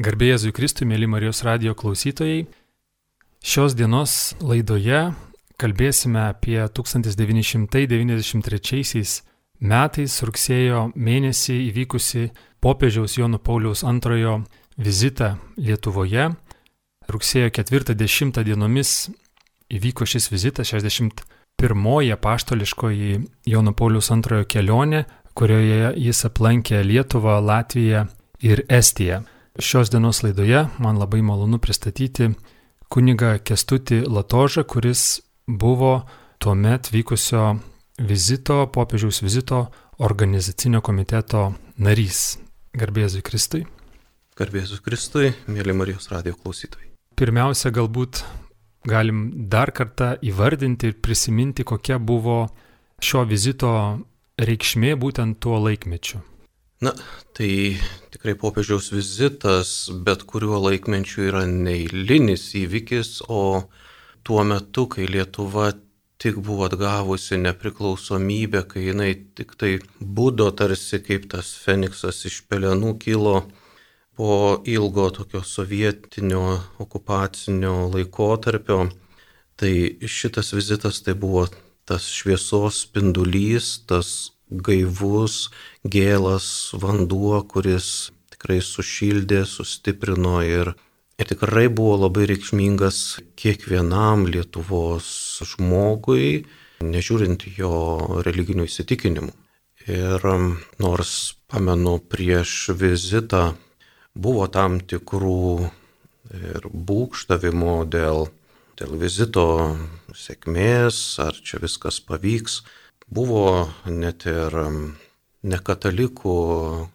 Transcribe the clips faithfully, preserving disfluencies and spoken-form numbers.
Garbė Jėzui Kristui, mėly Marijos radijo klausytojai. Šios dienos laidoje kalbėsime apie tūkstantis devyni šimtai devyniasdešimt trečiaisiais metais rugsėjo mėnesį įvykusi popiežiaus Jono Pauliaus antrojo vizitą Lietuvoje. Rugsėjo ketvirtą dešimtą dienomis įvyko šis vizitas, šešiasdešimt pirmoji apaštališkoji Jono Pauliaus antrojo kelionė, kurioje jis aplankė Lietuvą, Latviją ir Estiją. Šios dienos laidoje man labai malonu pristatyti kunigą Kęstutį Latožą, kuris buvo tuomet vykusio vizito, popiežiaus vizito organizacinio komiteto narys. Garbė Jėzui Kristui. Garbė Jėzui Kristui, mėly Marijos radijo klausytojai. Pirmiausia, galbūt galim dar kartą įvardinti ir prisiminti, kokia buvo šio vizito reikšmė būtent tuo laikmečiu. Na, tai tikrai popiežiaus vizitas bet kuriuo laikmečiu yra neeilinis įvykis, o tuo metu, kai Lietuva tik buvo atgavusi nepriklausomybę, kai jinai tik tai budo tarsi kaip tas feniksas iš pelenų kilo po ilgo tokio sovietinio okupacinio laikotarpio, tai šitas vizitas tai buvo tas šviesos spindulys, tas gaivus, gėlas vanduo, kuris tikrai sušildė, sustiprino ir, ir tikrai buvo labai reikšmingas kiekvienam Lietuvos žmogui, nežiūrint jo religinių įsitikinimų. Ir nors, pamenu, prieš vizitą buvo tam tikrų ir būgštavimų dėl, dėl vizito sėkmės, ar čia viskas pavyks, buvo net ir nekatalikų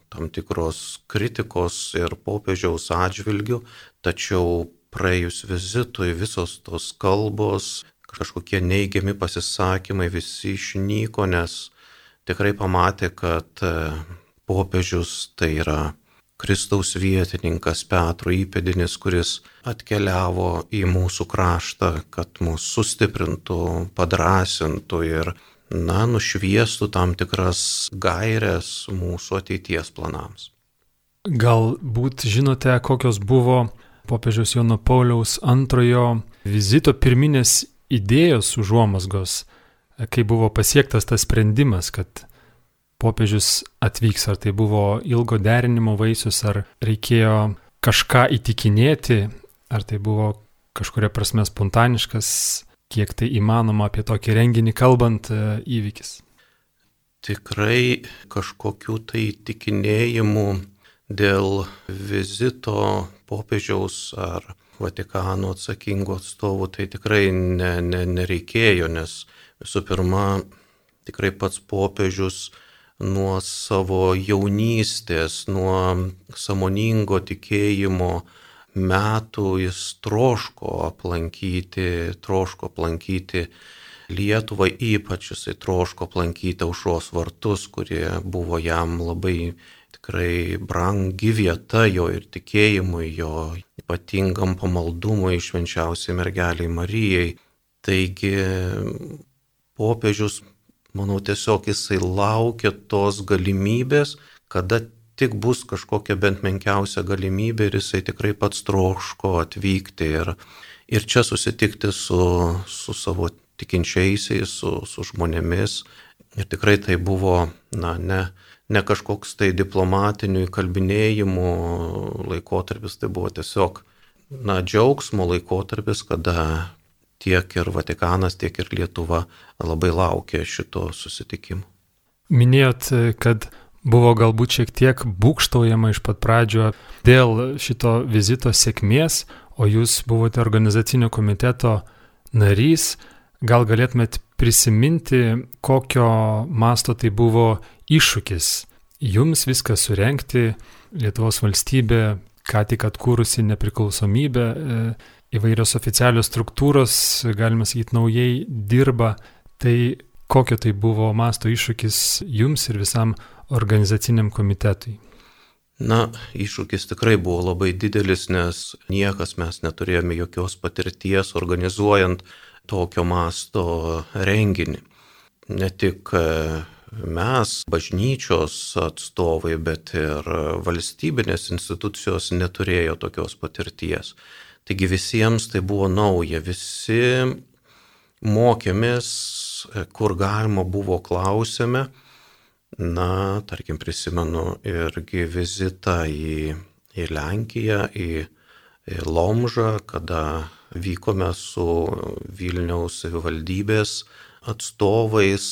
tam tikros kritikos ir popiežiaus atžvilgių, tačiau praėjus vizitui visos tos kalbos, kažkokie neigiami pasisakymai visi išnyko, nes tikrai pamatė, kad popiežius tai yra Kristaus vietininkas, Petro įpėdinis, kuris atkeliavo į mūsų kraštą, kad mus sustiprintų, padrąsintų ir na, nušviestų tam tikras gaires mūsų ateities planams. Galbūt žinote, kokios buvo popiežiaus Jono Pauliaus antrojo vizito pirminės idėjos užuomazgos, kai buvo pasiektas tas sprendimas, kad popiežius atvyks, ar tai buvo ilgo derinimo vaisius, ar reikėjo kažką įtikinėti, ar tai buvo kažkuria prasme spontaniškas, kiek tai įmanoma apie tokį renginį kalbant įvykis? Tikrai kažkokių tai įtikinėjimų dėl vizito popiežiaus ar Vatikano atsakingų atstovų tai tikrai ne, ne, nereikėjo, nes visų pirma, tikrai pats popiežius nuo savo jaunystės, nuo sąmoningo tikėjimo metų jis troško aplankyti, troško aplankyti Lietuvą, ypač jisai troško aplankyti Aušros vartus, kurie buvo jam labai tikrai brangi vieta jo ir tikėjimui, jo ypatingam pamaldumui švenčiausiai mergeliai Marijai. Taigi popiežius, manau, tiesiog jisai laukia tos galimybės, kada tik bus kažkokia bent menkiausia galimybė ir jisai tikrai pats troško atvykti ir, ir čia susitikti su, su savo tikinčiaisiais, su, su žmonėmis. Ir tikrai tai buvo na, ne, ne kažkoks tai diplomatinių įkalbinėjimų laikotarpis, tai buvo tiesiog na, džiaugsmo laikotarpis, kada tiek ir Vatikanas, tiek ir Lietuva labai laukia šito susitikimo. Minėjot, kad buvo galbūt šiek tiek būgštaujama iš pat pradžio dėl šito vizito sėkmės, o jūs buvote organizacinio komiteto narys. Gal galėtumėt prisiminti, kokio masto tai buvo iššūkis jums viską surengti, Lietuvos valstybė, ką tik atkūrusi nepriklausomybę, įvairios oficialios struktūros, galima sakyti, naujai dirba. Tai kokio tai buvo masto iššūkis jums ir visam organizaciniam komitetui? Na, iššūkis tikrai buvo labai didelis, nes niekas mes neturėjome jokios patirties organizuojant tokio masto renginį. Ne tik mes, bažnyčios atstovai, bet ir valstybinės institucijos neturėjo tokios patirties. Taigi visiems tai buvo nauja, visi mokėmės, kur galima buvo klausėme. Na, tarkim, prisimenu irgi vizitą į, į Lenkiją, į, į Lomžą, kada vykome su Vilniaus savivaldybės atstovais,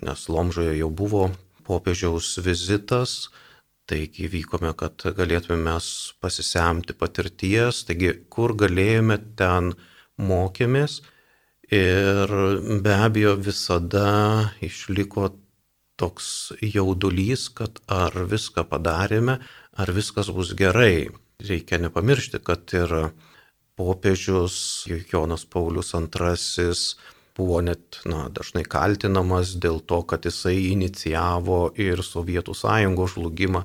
nes Lomžoje jau buvo popiežiaus vizitas, taigi vykome, kad galėtume mes pasisemti patirties, taigi kur galėjome, ten mokėmės ir be abejo visada išliko toks jaudulys, kad ar viską padarėme, ar viskas bus gerai. Reikia nepamiršti, kad ir popiežius Jonas Paulius antrasis buvo net na, dažnai kaltinamas dėl to, kad jisai inicijavo ir Sovietų Sąjungos žlugimą.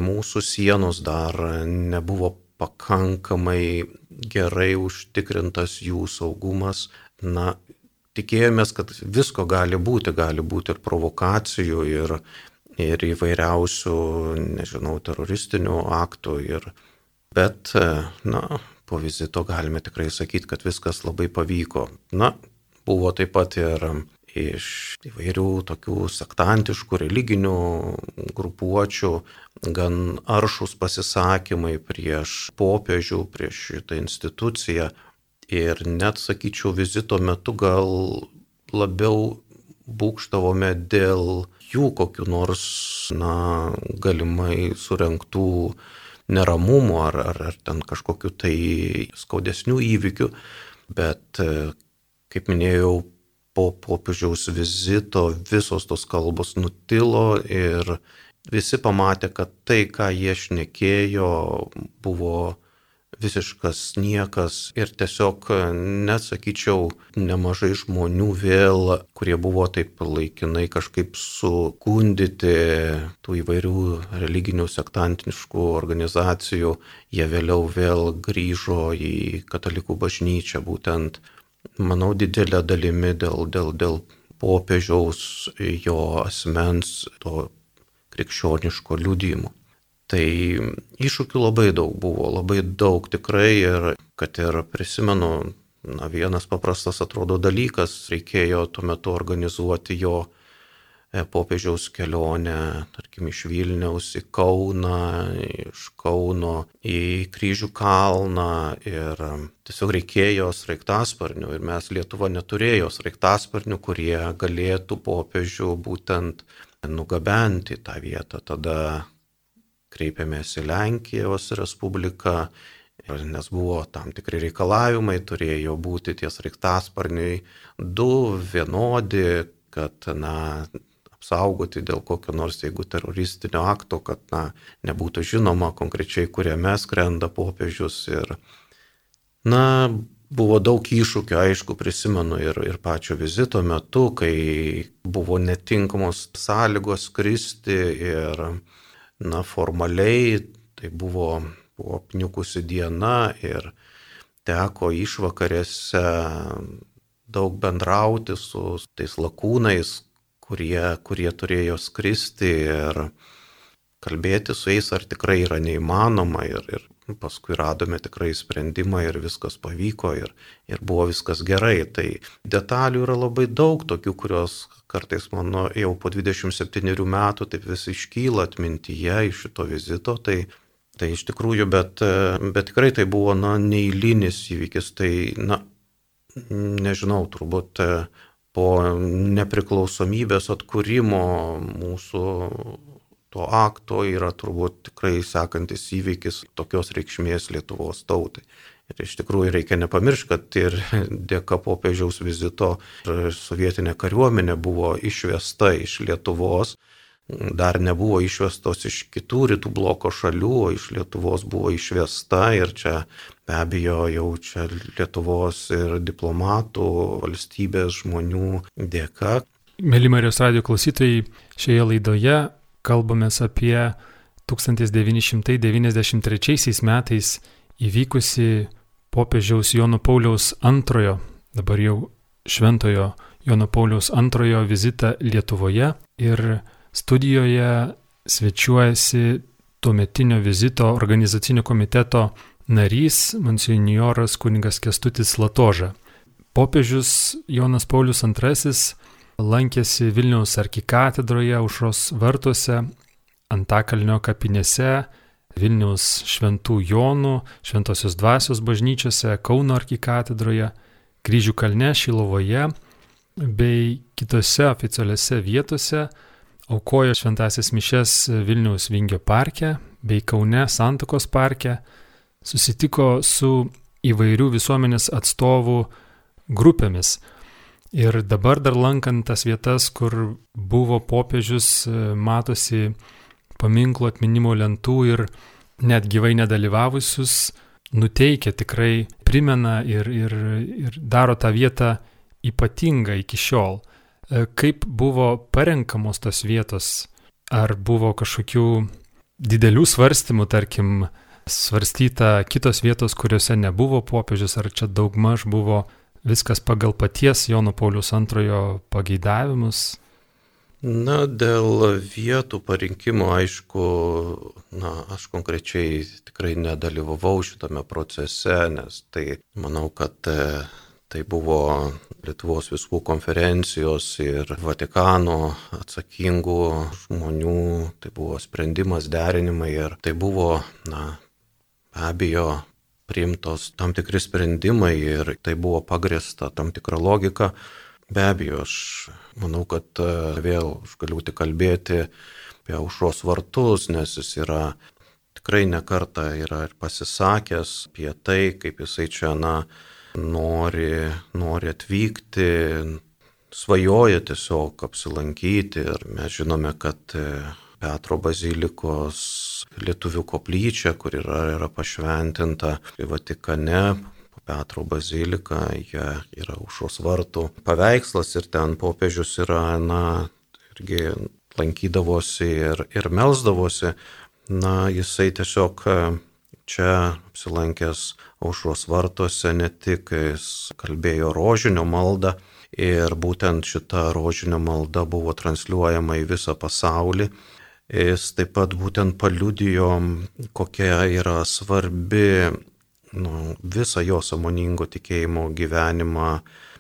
Mūsų sienos dar nebuvo pakankamai gerai užtikrintas jų saugumas. Na, tikėjomės, kad visko gali būti, gali būti ir provokacijų, ir, ir įvairiausių, nežinau, teroristinių aktų. Ir, bet, na, po vizito galime tikrai sakyti, kad viskas labai pavyko. Na, buvo taip pat ir iš įvairių tokių sektantiškų religinių grupuočių gan aršus pasisakymai prieš popiežių, prieš šitą instituciją. Ir net, sakyčiau, vizito metu gal labiau būkštavome dėl jų kokių nors, na, galimai surengtų neramumų ar, ar, ar ten kažkokių tai skaudesnių įvykių. Bet, kaip minėjau, po popiežiaus vizito visos tos kalbos nutilo ir visi pamatė, kad tai, ką jie šnekėjo, buvo visiškas niekas ir tiesiog, net sakyčiau, nemažai žmonių vėl, kurie buvo taip laikinai kažkaip sukundyti tų įvairių religinių sektantiniškų organizacijų, jie vėliau vėl grįžo į katalikų bažnyčią, būtent, manau, didelę dalimi dėl, dėl, dėl popiežiaus, jo asmens, to krikščioniško liudijimo. Tai iššūkių labai daug buvo, labai daug tikrai ir kad ir prisimenu, na, vienas paprastas atrodo dalykas, reikėjo tuo metu organizuoti jo popiežiaus kelionę, tarkim, iš Vilniaus į Kauną, iš Kauno į Kryžių kalną ir tiesiog reikėjo sraigtasparnių ir mes Lietuva neturėjo sraigtasparnių, kurie galėtų popiežių būtent nugabenti į tą vietą. Tada kreipėmės į Lenkijos Respubliką, nes buvo tam tikri reikalavimai, turėjo būti tie sraigtasparniai du vienodi, kad, na, apsaugoti dėl kokio nors, jeigu teroristinio akto, kad, na, nebūtų žinoma konkrečiai, kuriame skrenda popiežius. Ir, na, buvo daug iššūkių, aišku, prisimenu ir, ir pačio vizito metu, kai buvo netinkamos sąlygos skristi ir na, formaliai tai buvo, buvo apniukusi diena ir teko išvakarėse daug bendrauti su tais lakūnais, kurie, kurie turėjo skristi ir kalbėti su jais, ar tikrai yra neįmanoma. Ir, ir paskui radome tikrai sprendimą ir viskas pavyko ir, ir buvo viskas gerai. Tai detalių yra labai daug, tokių, kurios kartais mano jau po dvidešimt septynerių metų taip vis iškyla atmintyje iš šito vizito. Tai, tai iš tikrųjų, bet, bet tikrai tai buvo, na, neeilinis įvykis. Tai, na, nežinau, turbūt po nepriklausomybės atkūrimo mūsų to akto yra turbūt tikrai sekantis įvykis tokios reikšmės Lietuvos tautai. Ir iš tikrųjų reikia nepamiršti, kad ir dėka popiežiaus vizito sovietinė kariuomenė buvo išvesta iš Lietuvos, dar nebuvo išvestos iš kitų rytų bloko šalių, o iš Lietuvos buvo išvesta ir čia be abejo jau čia Lietuvos ir diplomatų, valstybės žmonių dėka. Mėly Marijos radijo klausytojai, šioje laidoje kalbamės apie tūkstantis devyni šimtai devyniasdešimt trečiaisiais metais įvykusi popiežiaus Jono Pauliaus antrojo, dabar jau šventojo Jono Pauliaus antrojo vizitą Lietuvoje ir studijoje svečiuojasi tuometinio vizito organizacinio komiteto narys monsinjoras kunigas Kęstutis Latoža. Popiežius Jonas Paulius antrasis lankėsi Vilniaus arkikatedroje, Aušros vartuose, Antakalnio kapinėse, Vilniaus Šventų Jonų, Šventosios Dvasios bažnyčiose, Kauno arkikatedroje, Kryžių kalne, Šilovoje bei kitose oficialiose vietose, aukojo šventąsias mišias Vilniaus Vingio parke bei Kaune Santakos parke, susitiko su įvairių visuomenės atstovų grupėmis. Ir dabar dar lankant tas vietas, kur buvo popiežius, matosi paminklo atminimo lentų ir net gyvai nedalyvavusius nuteikia, tikrai primena ir, ir, ir daro tą vietą ypatingą iki šiol. Kaip buvo parenkamos tos vietos? Ar buvo kažkokių didelių svarstymų, tarkim, svarstyta kitos vietos, kuriuose nebuvo popiežius, ar čia daugmaž buvo viskas pagal paties Jono Pauliaus antrojo pageidavimus? Na, dėl vietų parinkimo, aišku, na, aš konkrečiai tikrai nedalyvavau šitame procese, nes tai, manau, kad tai buvo Lietuvos vyskupų konferencijos ir Vatikano atsakingų žmonių, tai buvo sprendimas, derinimai ir tai buvo, na, be abejo, priimtos tam tikri sprendimai ir tai buvo pagrįsta tam tikra logika. Be abejo, aš manau, kad vėl aš galiu tik kalbėti apie Aušros vartus, nes jis yra tikrai ne kartą yra ir pasisakęs apie tai, kaip jisai čia, na, nori, nori atvykti, svajoja tiesiog apsilankyti ir mes žinome, kad Petro bazilikos lietuvių koplyčia, kur yra, yra pašventinta Vatikane, Petro bazilika, jie yra Aušros vartų paveikslas ir ten popiežius yra, na, irgi lankydavosi ir, ir melsdavosi. Na, jisai tiesiog čia apsilankęs Aušros vartuose ne tik jis kalbėjo rožinio maldą ir būtent šita rožinio malda buvo transliuojama į visą pasaulį. Jis taip pat būtent paliudijo, kokia yra svarbi, nu, visą jo sąmoningo tikėjimo gyvenimą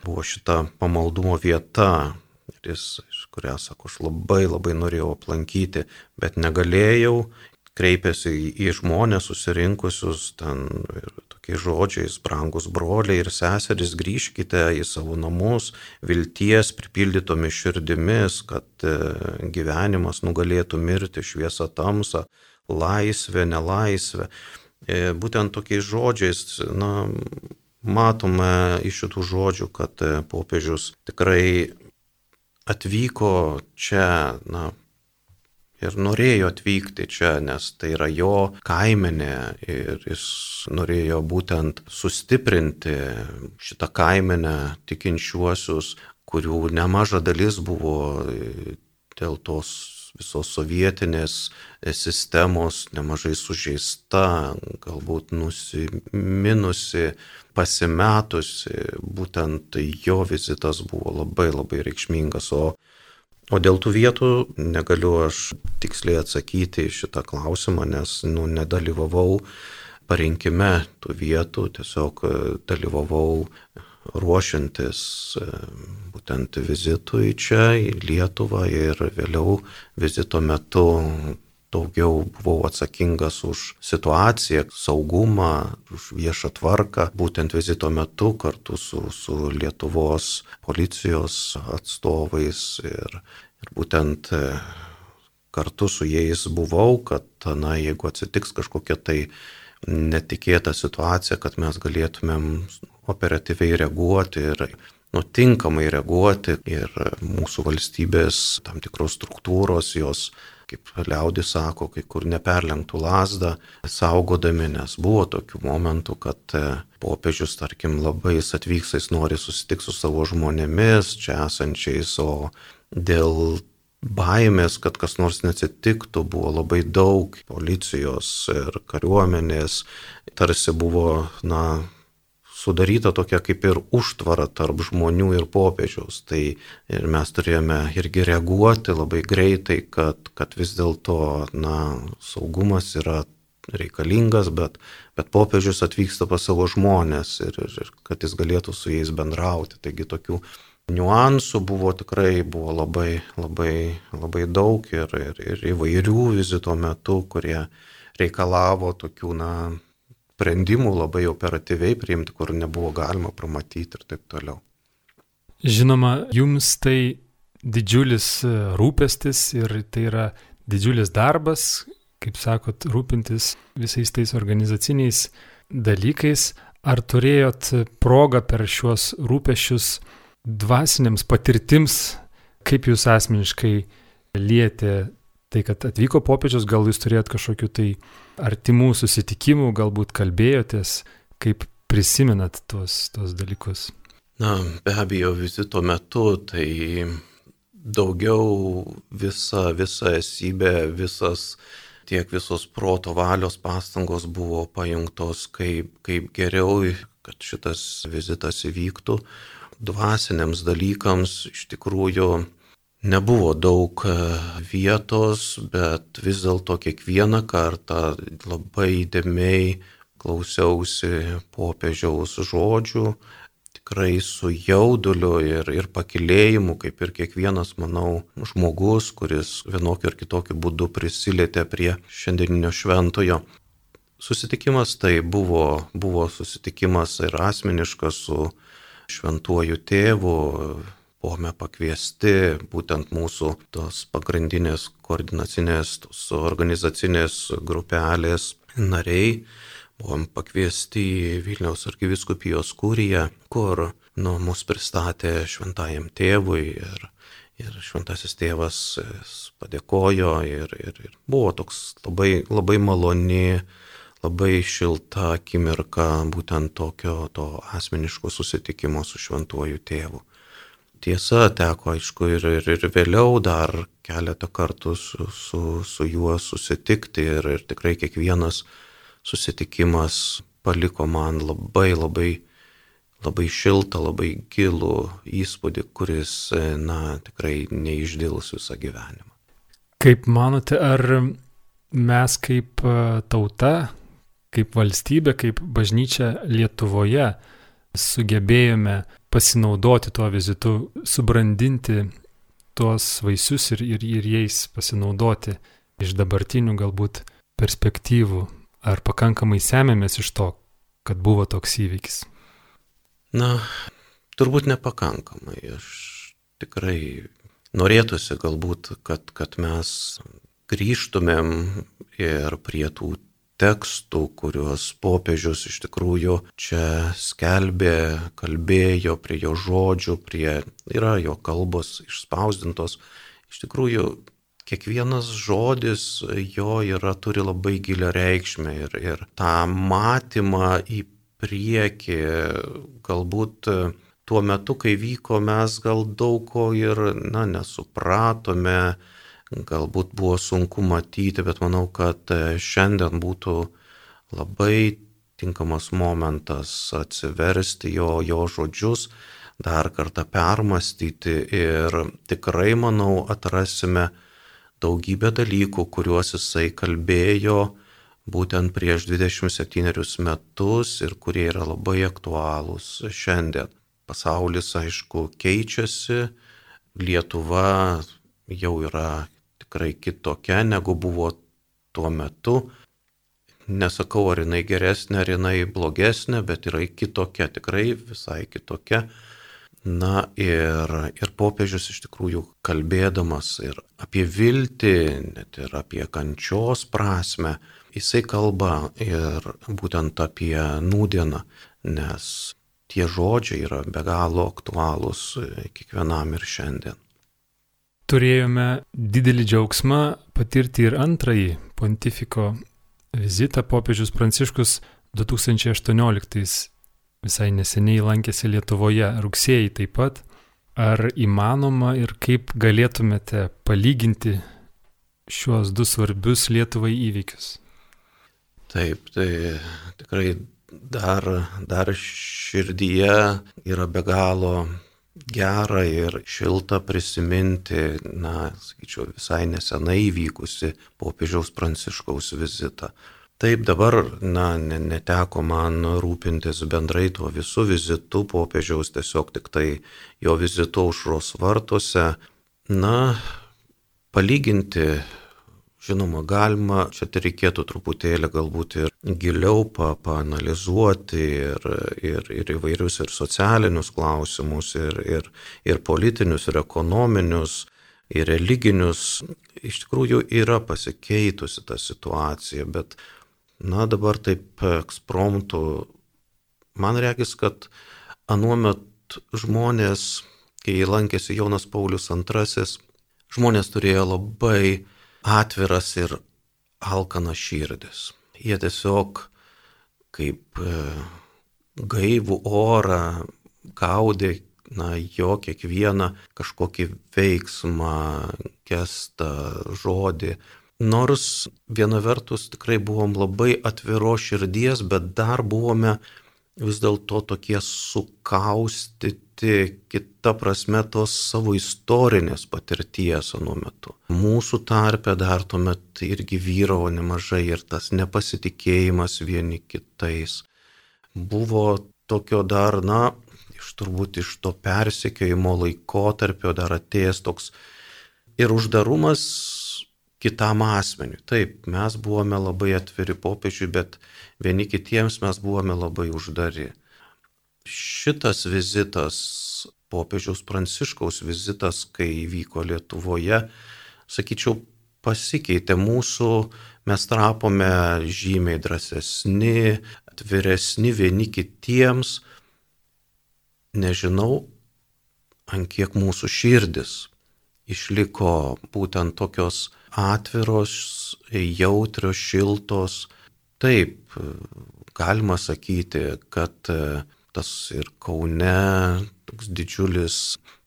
buvo šita pamaldumo vieta, ir jis, kurią, sako, aš labai labai norėjau aplankyti, bet negalėjau, kreipėsi į žmonės susirinkusius ten ir tokiais žodžiais: brangus broliai ir seserys, grįžkite į savo namus vilties pripildytomis širdimis, kad gyvenimas nugalėtų mirti, šviesa tamsą, laisvė, nelaisvė. Būtent tokiais žodžiais, na, matome iš šitų žodžių, kad popiežius tikrai atvyko čia, na, ir norėjo atvykti čia, nes tai yra jo kaimenė ir jis norėjo būtent sustiprinti šitą kaimenę tikinčiuosius, kurių nemaža dalis buvo dėl tos visos sovietinės sistemos nemažai sužeista, galbūt nusiminusi, pasimetusi. Būtent jo vizitas buvo labai labai reikšmingas. O, o dėl tų vietų negaliu aš tiksliai atsakyti į šitą klausimą, nes nu, nedalyvavau parinkime tų vietų, tiesiog dalyvavau ruošiantis būtent vizitui čia į Lietuvą ir vėliau vizito metu daugiau buvau atsakingas už situaciją, saugumą, už viešą tvarką. Būtent vizito metu kartu su, su Lietuvos policijos atstovais ir, ir būtent kartu su jais buvau, kad, na, jeigu atsitiks kažkokia tai netikėta situacija, kad mes galėtumėm operatyviai reaguoti ir nu, tinkamai reaguoti ir mūsų valstybės tam tikros struktūros, jos, kaip liaudis sako, kai kur neperlenktų lazdą, saugodami, nes buvo tokių momentų, kad popiežius, tarkim, labai jis atvyks, jis nori susitikti su savo žmonėmis, čia esančiais, o dėl baimės, kad kas nors neatsitiktų, buvo labai daug policijos ir kariuomenės, tarsi buvo, na, sudaryta tokia kaip ir užtvara tarp žmonių ir popiežiaus. Tai ir mes turėjome irgi reaguoti labai greitai, kad, kad vis dėlto, na, saugumas yra reikalingas, bet, bet popiežius atvyksta pas savo žmonės ir, ir, ir kad jis galėtų su jais bendrauti. Taigi tokių niuansų buvo tikrai buvo labai, labai, labai daug ir, ir, ir įvairių vizito metu, kurie reikalavo tokių, na, sprendimų labai operatyviai priimti, kur nebuvo galima pamatyti ir taip toliau. Žinoma, jums tai didžiulis rūpestis ir tai yra didžiulis darbas, kaip sakot, rūpintis visais tais organizaciniais dalykais. Ar turėjot progą per šiuos rūpesčius dvasiniams patirtims, kaip jūs asmeniškai lietė tai, kad atvyko popiežius, gal jūs turėjot kažkokių tai artimų susitikimų, galbūt kalbėjotės, kaip prisimenat tuos, tuos dalykus? Na, be abejo, vizito metu tai daugiau visa, visa esybė, visas, tiek visos proto valios pastangos buvo pajungtos, kaip, kaip geriau, kad šitas vizitas įvyktų. Dvasiniams dalykams iš tikrųjų nebuvo daug vietos, bet vis dėlto kiekvieną kartą labai įdėmiai klausiausi popiežiaus žodžių, tikrai su jauduliu ir, ir pakilėjimu, kaip ir kiekvienas, manau, žmogus, kuris vienokiu ar kitokiu būdu prisilietė prie šiandieninio šventojo. Susitikimas tai buvo, buvo susitikimas ir asmeniškas su šventuoju tėvu. Buvome pakviesti būtent mūsų tos pagrindinės koordinacinės, tos organizacinės grupelės nariai. Buvom pakviesti į Vilniaus arkivyskupijos kuriją, kur, nu, mus pristatė šventajam tėvui ir, ir šventasis tėvas padėkojo ir, ir, ir buvo toks labai, labai maloni, labai šilta akimirka būtent tokio to asmeniško susitikimo su šventuoju tėvu. Tiesa, teko, aišku, ir, ir, ir vėliau dar keletą kartų su, su, su juo susitikti ir, ir tikrai kiekvienas susitikimas paliko man labai, labai, labai šiltą, labai gilų įspūdį, kuris, na, tikrai neišdils visą gyvenimą. Kaip manote, ar mes kaip tauta, kaip valstybė, kaip bažnyčia Lietuvoje sugebėjome pasinaudoti tuo vizitu, subrandinti tuos vaisius ir, ir, ir jais pasinaudoti iš dabartinių galbūt perspektyvų? Ar pakankamai semėmės iš to, kad buvo toks įvykis? Na, turbūt nepakankamai. Aš tikrai norėtųsi galbūt, kad, kad mes grįžtumėm ir prie tų tekstų, kuriuos popiežius iš tikrųjų čia skelbė, kalbėjo, prie jo žodžių, prie, yra jo kalbos išspausdintos. Iš tikrųjų, kiekvienas žodis jo yra, turi labai gilią reikšmę ir, ir tą matymą į priekį, galbūt tuo metu, kai vyko, mes gal daug ko ir, na, nesupratome, galbūt buvo sunku matyti, bet manau, kad šiandien būtų labai tinkamas momentas atsiversti jo, jo žodžius, dar kartą permastyti ir tikrai, manau, atrasime daugybę dalykų, kuriuos jisai kalbėjo būtent prieš dvidešimt septynerius metus ir kurie yra labai aktualūs šiandien. Pasaulis, aišku, keičiasi, Lietuva jau yra tikrai kitokia, negu buvo tuo metu. Nesakau, ar jinai geresnė, ar jinai blogesnė, bet yra kitokia, tikrai visai kitokia. Na ir, ir popiežius iš tikrųjų kalbėdamas ir apie viltį, net ir apie kančios prasme, jisai kalba ir būtent apie nūdieną, nes tie žodžiai yra be galo aktualūs kiekvienam ir šiandien. Turėjome didelį džiaugsmą patirti ir antrąjį pontifiko vizitą. Popiežius Pranciškus du tūkstančiai aštuonioliktais visai neseniai lankėsi Lietuvoje, rugsėjį taip pat. Ar įmanoma ir kaip galėtumėte palyginti šiuos du svarbius Lietuvai įvykius? Taip, tai tikrai dar, dar širdyje yra be galo gera ir šilta prisiminti, na, sakyčiau, visai nesenai įvykusi popiežiaus Pranciškaus vizitą. Taip dabar, na, neteko man rūpintis bendrai tuo visų vizitų popiežiaus, tiesiog tik tai jo vizito Aušros vartuose. Na, palyginti, žinoma, galima, čia tai reikėtų truputėlį galbūt ir giliau pa, paanalizuoti ir, ir, ir įvairius ir socialinius klausimus, ir, ir, ir politinius, ir ekonominius, ir religinius. Iš tikrųjų yra pasikeitusi ta situacija, bet, na, dabar taip ekspromtu, man regis, kad anuomet žmonės, kai lankėsi Jonas Paulius antrasis, žmonės turėjo labai atviras ir alkanas širdis. Jie tiesiog kaip gaivų orą gaudė, na, jo kiekvieną kažkokį veiksmą, gestą, žodį. Nors viena vertus tikrai buvom labai atviro širdies, bet dar buvome vis dėlto tokie sukaustyti, kita prasme, tos savo istorinės patirties anuo metu. Mūsų tarpe dar tuomet irgi vyravo nemažai ir tas nepasitikėjimas vieni kitais. Buvo tokio dar, na, iš turbūt iš to persekiojimo laikotarpio dar atėjęs toks ir uždarumas kitam asmeniui. Taip, mes buvome labai atviri popiežiui, bet vieni kitiems mes buvome labai uždari. Šitas vizitas, popiežiaus Pranciškaus vizitas, kai vyko Lietuvoje, sakyčiau, pasikeitė mūsų, mes tapome žymiai drąsesni, atviresni vieni kitiems. Nežinau, ant kiek mūsų širdis išliko būtent tokios atviros, jautrios, šiltos. Taip, galima sakyti, kad tas ir Kaune toks didžiulis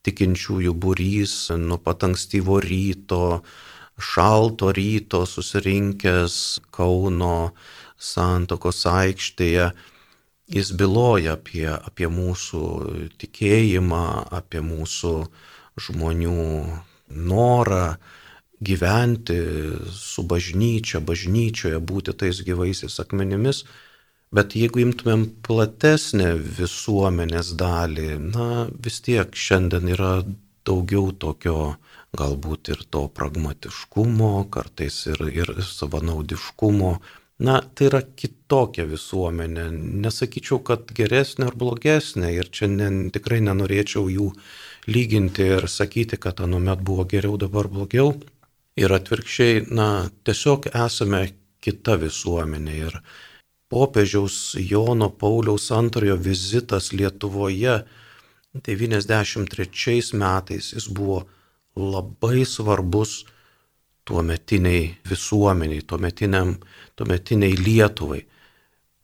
tikinčiųjų būrys nuo pat ankstyvo ryto, šalto ryto susirinkęs Kauno Santakos aikštėje, jis byloja apie, apie mūsų tikėjimą, apie mūsų žmonių norą gyventi su bažnyčia, bažnyčioje būti tais gyvaisiais akmenimis. Bet jeigu imtumėm platesnę visuomenės dalį, na, vis tiek šiandien yra daugiau tokio, galbūt ir to pragmatiškumo, kartais ir, ir savanaudiškumo. Na, tai yra kitokia visuomenė. Nesakyčiau, kad geresnė ar blogesnė, ir čia ne, tikrai nenorėčiau jų lyginti ir sakyti, kad anuomet buvo geriau, dabar blogiau. Ir atvirkščiai, na, tiesiog esame kita visuomenė. Ir popiežiaus Jono Pauliaus antrojo vizitas Lietuvoje devyniasdešimt trečiais metais, jis buvo labai svarbus tuometiniai visuomeniai, tuometiniam, tuometiniai Lietuvai.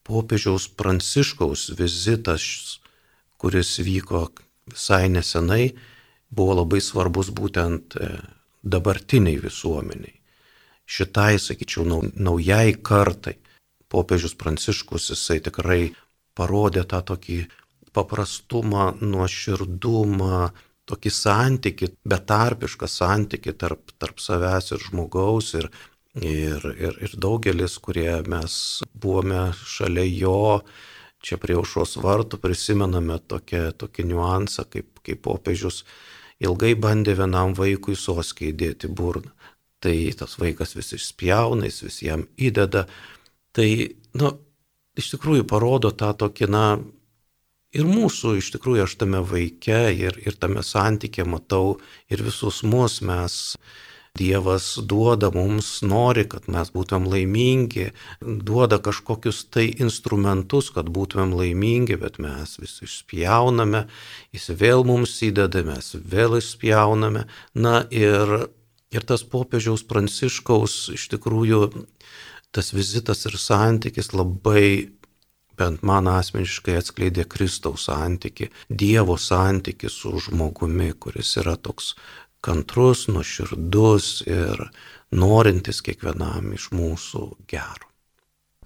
Popiežiaus Pranciškaus vizitas, kuris vyko visai nesenai, buvo labai svarbus būtent dabartiniai visuomeniai. Šitai, sakyčiau, naujai kartai. Popiežius Pranciškus, jisai tikrai parodė tą tokį paprastumą, nuoširdumą, tokį santykį, betarpišką santykį tarp, tarp savęs ir žmogaus. Ir, ir, ir, ir daugelis, kurie mes buvome šalia jo, čia prie Aušros vartų, prisimename tokią, tokį niuansą, kaip, kaip popiežius ilgai bandė vienam vaikui soskę įdėti burną. Tai tas vaikas vis išspjauna, jis vis jam įdeda. Tai, nu, iš tikrųjų parodo tą tokį, na, ir mūsų, iš tikrųjų, aš tame vaike ir, ir tame santykė matau ir visus mus mes, Dievas duoda mums, nori, kad mes būtumėm laimingi, duoda kažkokius tai instrumentus, kad būtumėm laimingi, bet mes vis išspjauname, jis vėl mums įdeda, mes vėl išspjauname. Na ir, ir tas popiežiaus Pranciškaus, iš tikrųjų, tas vizitas ir santykis labai, bent man asmeniškai, atskleidė Kristaus santykį, Dievo santykį su žmogumi, kuris yra toks kantrus, nuoširdus ir norintis kiekvienam iš mūsų gero.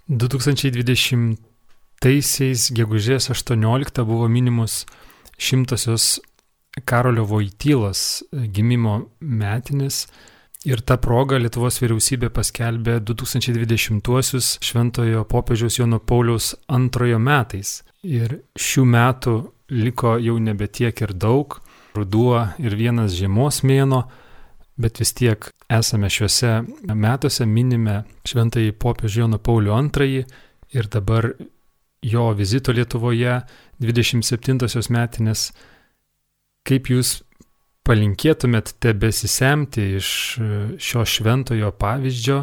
du tūkstančiai dvidešimtais šešioliktaisiais gegužės aštuonioliktą buvo minimos šimtosios Karolio Voitylos gimimo metinės ir ta proga Lietuvos vyriausybė paskelbė du tūkstančiai dvidešimtuosius Šventojo popiežiaus Jono Pauliaus antrojo metais. Ir šių metų liko jau nebe tiek ir daug, ruduo ir vienas žiemos mėnuo, bet vis tiek esame šiuose metuose, minime Šventąjį popiežių Joną Paulių antrąjį ir dabar jo vizito Lietuvoje dvidešimt septintosios metinės. Kaip jūs palinkėtumėt tebesisemti iš šio šventojo pavyzdžio,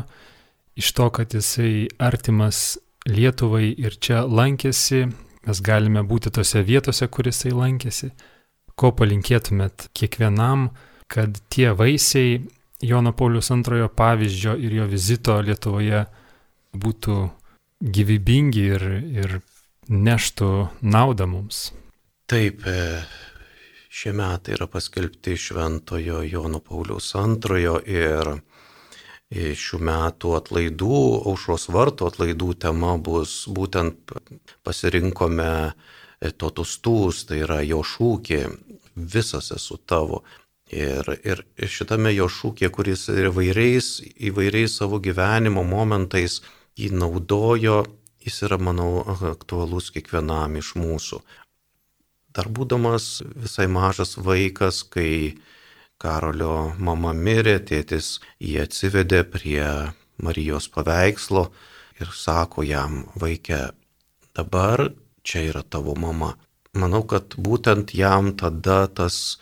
iš to, kad jisai artimas Lietuvai ir čia lankėsi, mes galime būti tose vietose, kur jisai lankėsi. Ko palinkėtumėt kiekvienam, kad tie vaisiai Jono Pauliaus antrojo pavyzdžio ir jo vizito Lietuvoje būtų gyvybingi ir, ir neštų naudą mums? Taip, šie metai yra paskelbti Šventojo Jono Pauliaus antrojo ir šių metų atlaidų, Aušros vartų atlaidų tema bus būtent pasirinkome totus tūs, tai yra jo šūkį, visas esu tavo. Ir, ir šitame jo šūkė, kuris įvairiais, įvairiais savo gyvenimo momentais jį naudojo, jis yra, manau, aktualus kiekvienam iš mūsų. Dar būdamas visai mažas vaikas, kai Karolio mama mirė, tėtis jį atsivedė prie Marijos paveikslo ir sako jam: vaike, dabar čia yra tavo mama. Manau, kad būtent jam tada tas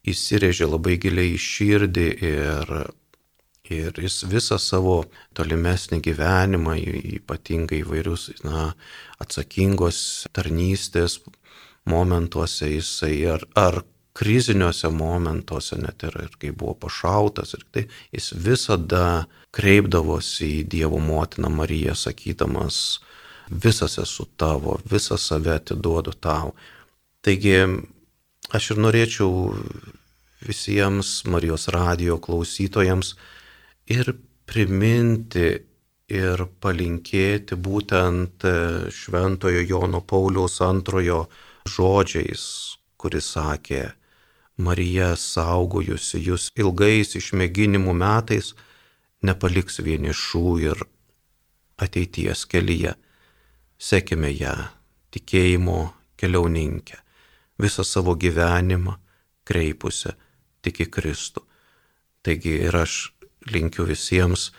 įsirėžė labai giliai į širdį ir, ir jis visą savo tolimesnį gyvenimą, ypatingai įvairius na, atsakingos tarnystės momentuose jisai ar, ar kriziniuose momentuose, net ir, ir kai buvo pašautas, ir tai jis visada kreipdavosi į Dievo motiną Mariją, sakydamas: visas esu tavo, visą save atiduodu tau. Taigi aš ir norėčiau visiems Marijos radijo klausytojams ir priminti ir palinkėti būtent Šventojo Jono Pauliaus antrojo žodžiais, kuris sakė: Marija, saugojusi jūs ilgais išmėginimų metais, nepaliks vienišų ir ateities kelyje. Sekime ją, tikėjimo keliauninkę, visą savo gyvenimą kreipusią tik į Kristų. Taigi ir aš linkiu visiems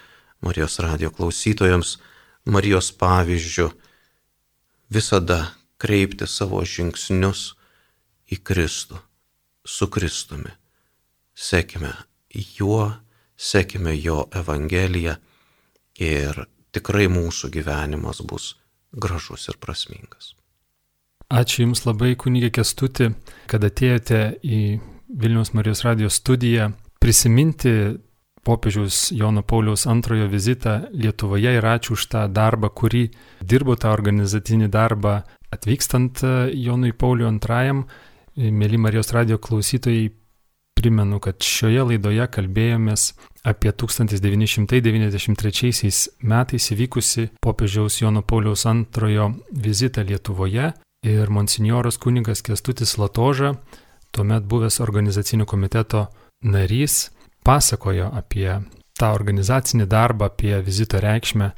Marijos radijo klausytojams Marijos pavyzdžių visada kreipti savo žingsnius į Kristų, su Kristumi. Sekime juo, sekime jo Evangeliją ir tikrai mūsų gyvenimas bus gražus ir prasmingas. Ačiū Jums labai, kunige Kęstuti, kad atėjote į Vilniaus Marijos radijo studiją prisiminti popiežiaus Jono Pauliaus antrojo vizitą Lietuvoje ir ačiū už tą darbą, kurį dirbo, tą organizacinį darbą atvykstant Jonui Pauliui antrajam. Mėly Marijos radijo klausytojai, primenu, kad šioje laidoje kalbėjomės apie tūkstantis devyni šimtai devyniasdešimt trečiaisiais metais įvykusi popiežiaus Jono Pauliaus antrojo vizitą Lietuvoje ir monsinjoras kunigas Kęstutis Latoža, tuomet buvęs organizacinio komiteto narys, pasakojo apie tą organizacinį darbą, apie vizito reikšmę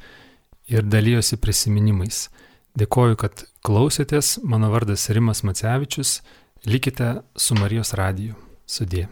ir dalijosi prisiminimais. Dėkoju, kad klausėtės. Mano vardas Rimas Macevičius. Likite su Marijos radiju. Sudie.